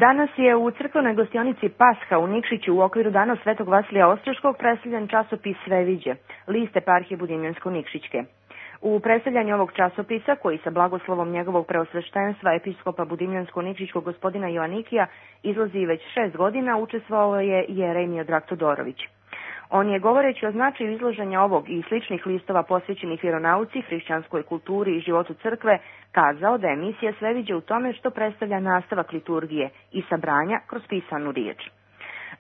Danas je u crkvenoj gostionici Pasha u Nikšiću u okviru Dana Svetog Vasilija Ostroškog predstavljen časopis Sveviđe, list eparhije Budimljansko-Nikšićke. U predstavljanju ovog časopisa, koji sa blagoslovom njegovog preosveštenstva episkopa Budimljansko-Nikšićkog gospodina Joanikija izlazi već 6 godina, učestvovao je Jerej Miodrag Todorović. On je, govoreći o značaju izloženja ovog i sličnih listova posvećenih vjeronauci, hrišćanskoj kulturi i životu crkve, kazao da je misija Sveviđe u tome što predstavlja nastavak liturgije i sabranja kroz pisanu riječ.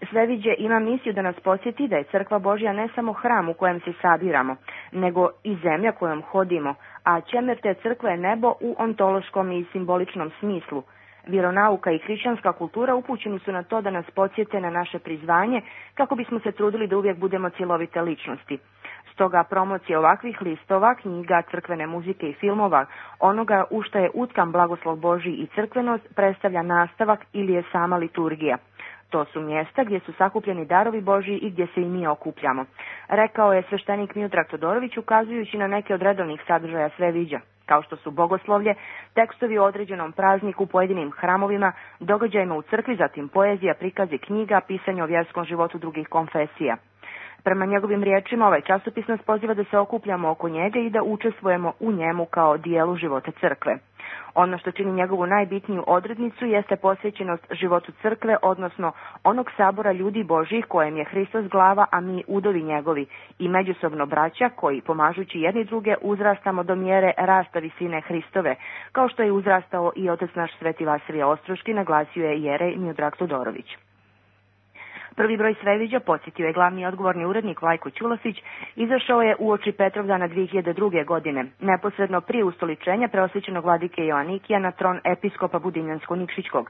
Sveviđe ima misiju da nas podsjeti da je crkva Božja ne samo hram u kojem se sabiramo, nego i zemlja kojom hodimo, a ćemer te crkve je nebo u ontološkom i simboličnom smislu. Vjeronauka i hrišćanska kultura upućeni su na to da nas podsjete na naše prizvanje kako bismo se trudili da uvijek budemo cjelovite ličnosti. Stoga promocija ovakvih listova, knjiga, crkvene muzike i filmova, onoga u što je utkan blagoslov Božji i crkvenost, predstavlja nastavak ili je sama liturgija. To su mjesta gdje su sakupljeni darovi Božji i gdje se i mi okupljamo, rekao je sveštenik Miodrag Todorović ukazujući na neke od redovnih sadržaja Sveviđa, kao što su bogoslovlje, tekstovi o određenom prazniku, pojedinim hramovima, događajima u crkvi, zatim poezija, prikazi knjiga, pisanje o vjerskom životu drugih konfesija. Prema njegovim riječima, ovaj časopis nas poziva da se okupljamo oko njega i da učestvujemo u njemu kao dijelu života crkve. Ono što čini njegovu najbitniju odrednicu jeste posvećenost životu crkve, odnosno onog sabora ljudi Božjih kojem je Hristos glava, a mi udovi njegovi, i međusobno braća koji, pomažući jedni druge, uzrastamo do mjere rasta visine Hristove, kao što je uzrastao i otac naš Sveti Vasilije Ostroški, naglasio je Jerej Miodrag Todorović. Prvi broj Sveviđa, podsjetio je glavni odgovorni urednik Vlajko Ćulosić, izašao je uoči Petrovdana 2002. godine, neposredno prije ustoličenja preosvećenog vladike Joanikija na tron episkopa Budimljansko-Nikšićkog,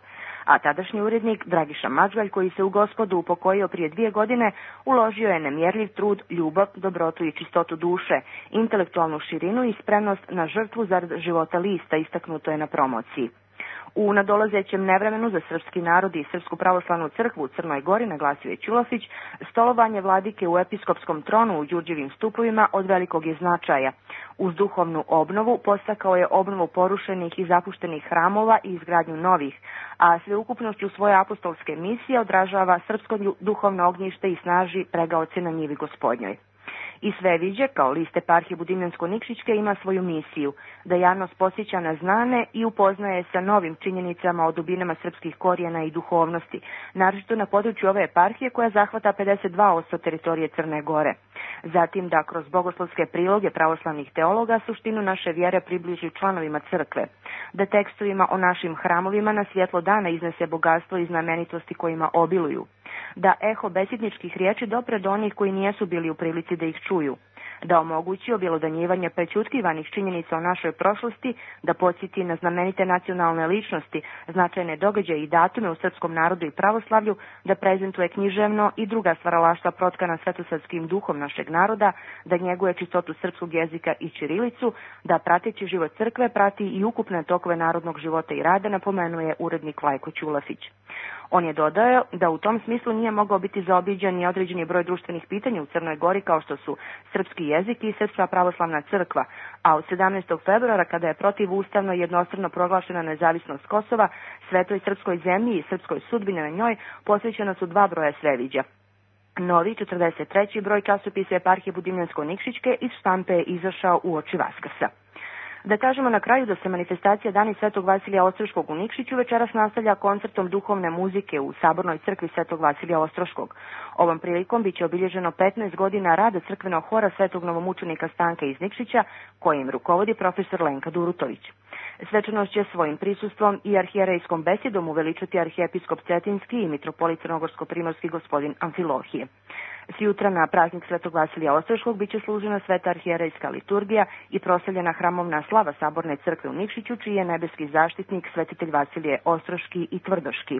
a tadašnji urednik Dragiša Mažgalj, koji se u Gospodu upokojio prije 2 godine, uložio je nemjerljiv trud, ljubav, dobrotu i čistotu duše, intelektualnu širinu i spremnost na žrtvu zarad života lista, istaknuto je na promociji. U nadolazećem nevremenu za srpski narod i Srpsku pravoslavnu crkvu u Crnoj Gori, naglasio je Ćulosić, stolovanje vladike u episkopskom tronu u Đurđevim stupovima od velikog je značaja. Uz duhovnu obnovu postakao je obnovu porušenih i zapuštenih hramova i izgradnju novih, a sveukupnošću svoje apostolske misije odražava srpsko duhovno ognjište i snaži pregaoce na njivi Gospodnjoj. I Sveviđe, kao list eparhije Budimljansko-Nikšićke, ima svoju misiju, da javnost posjeća na znane i upoznaje sa novim činjenicama o dubinama srpskih korijena i duhovnosti, naročito na području ove eparhije koja zahvata 52% teritorije Crne Gore. Zatim da kroz bogoslovske priloge pravoslavnih teologa suštinu naše vjere približi članovima crkve, da tekstovima o našim hramovima na svjetlo dana iznese bogatstvo i znamenitosti kojima obiluju, da eho besjedničkih riječi dopre do onih koji nijesu bili u prilici da ih čuju, da omogući objelodanjivanje prećutkivanih činjenica o našoj prošlosti, da podsjeti na znamenite nacionalne ličnosti, značajne događaje i datume u srpskom narodu i pravoslavlju, da prezentuje književno i druga stvaralaštva protkana svetosarskim duhom našeg naroda, da njeguje čistotu srpskog jezika i ćirilicu, da prateći život crkve prati i ukupne tokove narodnog života i rada, napomenuje urednik Vlajko Ćulosić. On je dodao da u tom smislu nije mogao biti zaobiđen ni određeni broj društvenih pitanja u Crnoj Gori kao što su srpski jezik i Srpska pravoslavna crkva, a od 17. februara kada je protivustavno i jednostrano proglašena nezavisnost Kosova, svetoj srpskoj zemlji i srpskoj sudbini na njoj posvećena su 2 broja Sveviđa. Novi 43. broj časopisa eparhije Budimljansko-Nikšićke iz štampe je izašao uoči Vaskrsa. Da kažemo na kraju da se manifestacija Dani Svetog Vasilija Ostroškog u Nikšiću večeras nastavlja koncertom duhovne muzike u Sabornoj crkvi Svetog Vasilija Ostroškog. Ovom prilikom biće obilježeno 15 godina rada crkvenog hora Svetog novomučenika Stanka iz Nikšića, kojim rukovodi profesor Lenka Durutović. Svečanost će svojim prisustvom i arhijerejskom besedom uveličati arhijepiskop Cetinski i mitropolit Crnogorsko-primorski gospodin Amfilohije. Sjutra na praznik Svetog Vasilija Ostroškog biće služena sveta arhijerejska liturgija i proslavljena hramovna slava Saborne crkve u Nikšiću, čiji je nebeski zaštitnik svetitelj Vasilije Ostroški i Tvrdoški.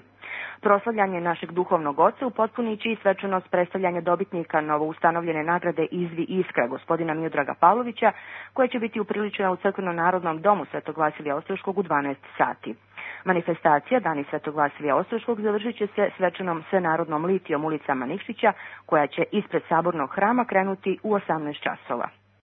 Proslavljanje našeg duhovnog oca upotpunit će i svečanost predstavljanja dobitnika novoustanovljene nagrade Izvi Iskra gospodina Miodraga Pavlovića, koja će biti upriličena u crkveno-narodnom domu Svetog Vasilija Ostroškog u 12 sati. Manifestacija Dani Svetog Vasilija Ostroškog završit će se svečanom svenarodnom litijom ulicama Nikšića, koja će ispred Sabornog hrama krenuti u 18 časova.